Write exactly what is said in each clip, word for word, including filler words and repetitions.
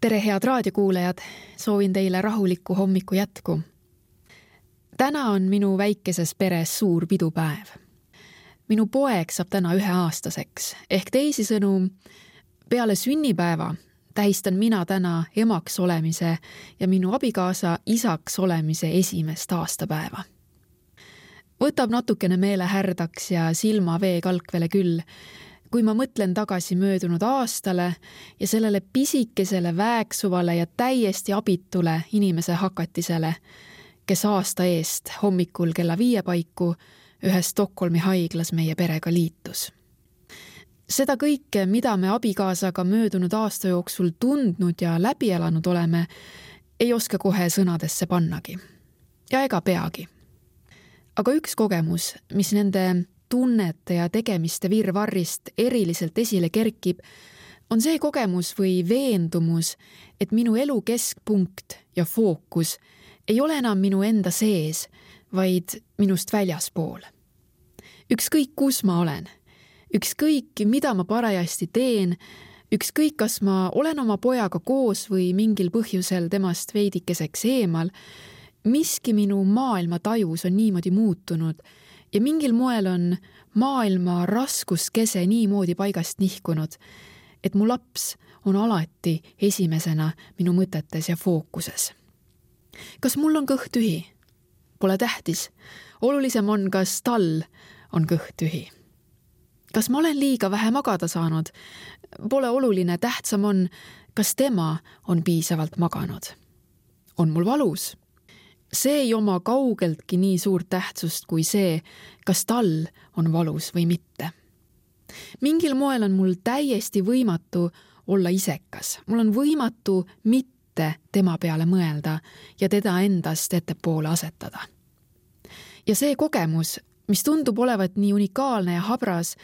Tere, head raadiokuulajad! Soovin teile rahulikku hommiku jätku. Täna on minu väikeses peres suur pidupäev. Minu poeg saab täna üheaastaseks, ehk teisisõnu, peale sünnipäeva tähistan mina täna emaks olemise ja minu abikaasa isaks olemise esimest aastapäeva. Võtab natukene meele härdaks ja silma vee kalkvele küll, kui ma mõtlen tagasi möödunud aastale ja sellele pisikesele väeksuvale ja täiesti abitule inimese hakatisele, kes aasta eest hommikul kella viie paiku ühes Stockholmi haiglas meie perega liitus. Seda kõike, mida me abikaasaga möödunud aasta jooksul tundnud ja läbi elanud oleme, ei oska kohe sõnadesse pannagi. Ja ega peagi. Aga üks kogemus, mis nende tunnete ja tegemiste virvarrist eriliselt esile kerkib, on see kogemus või veendumus, et minu elu keskpunkt ja fookus ei ole enam minu enda sees, vaid minust väljaspool. Ükskõik kus ma olen, ükskõik mida ma parajasti teen, ükskõik kas ma olen oma pojaga koos või mingil põhjusel temast veidikeseks eemal, miski minu maailma tajus on niimoodi muutunud ja mingil moel on maailma raskuskese niimoodi paigast nihkunud, et mu laps on alati esimesena minu mõtetes ja fookuses. Kas mul on kõht tühi? Pole tähtis. Olulisem on, kas tal on kõht tühi. Kas ma olen liiga vähe magada saanud? Pole oluline, tähtsam on, kas tema on piisavalt maganud. On mul valus? See ei oma kaugeltki nii suurt tähtsust kui see, kas tal on valus või mitte. Mingil moel on mul täiesti võimatu olla isekas. Mul on võimatu mitte tema peale mõelda ja teda endast ettepoole asetada. Ja see kogemus, mis tundub olevat nii unikaalne ja habras,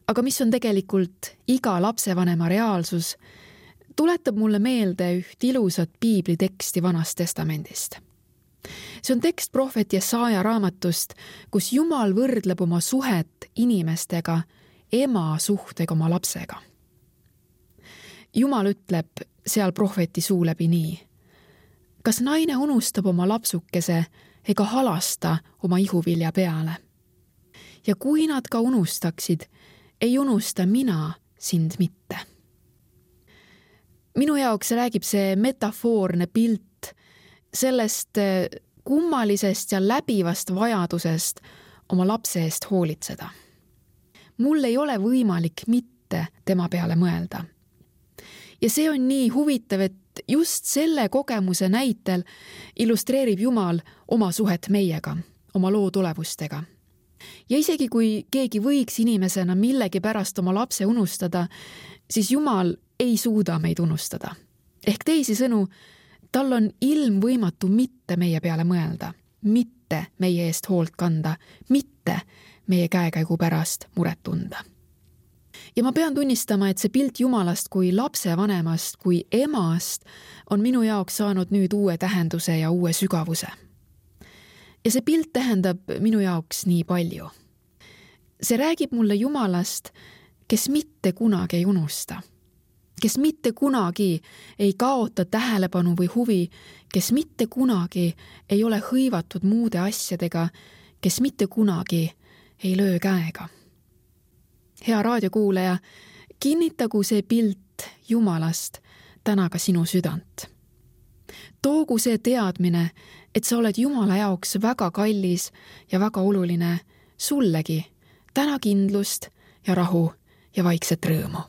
aga mis on tegelikult iga lapsevanema reaalsus, tuletab mulle meelde üht ilusat piibliteksti Vanast Testamendist. See on tekst prohvet Jesaja raamatust, kus Jumal võrdleb oma suhet inimestega ema suhtega oma lapsega. Jumal ütleb seal prohveti suu läbi nii. Kas naine unustab oma lapsukese ega halasta oma ihuvilja peale? Ja kui nad ka unustaksid, ei unusta mina sind mitte. Minu jaoks räägib see metafoorne pilt sellest kummalisest ja läbivast vajadusest oma lapse eest hoolitseda. Mul ei ole võimalik mitte tema peale mõelda. Ja see on nii huvitav, et just selle kogemuse näitel illustreerib Jumal oma suhet meiega, oma loo tulevustega. Ja isegi kui keegi võiks inimesena millegi pärast oma lapse unustada, siis Jumal ei suuda meid unustada. Ehk teisisõnu, tal on ilmvõimatu mitte meie peale mõelda, mitte meie eest hoolt kanda, mitte meie käekäigu pärast muret tunda. Ja ma pean tunnistama, et see pilt Jumalast kui lapsevanemast, kui emast on minu jaoks saanud nüüd uue tähenduse ja uue sügavuse. Ja see pilt tähendab minu jaoks nii palju. See räägib mulle Jumalast, kes mitte kunagi ei unusta. Kes mitte kunagi ei kaota tähelepanu või huvi, kes mitte kunagi ei ole hõivatud muude asjadega, kes mitte kunagi ei löö käega. Hea raadiokuulaja, kinnitagu see pilt Jumalast täna ka sinu südant. Toogu see teadmine, et sa oled Jumala jaoks väga kallis ja väga oluline sullegi täna kindlust ja rahu ja vaikset rõõmu.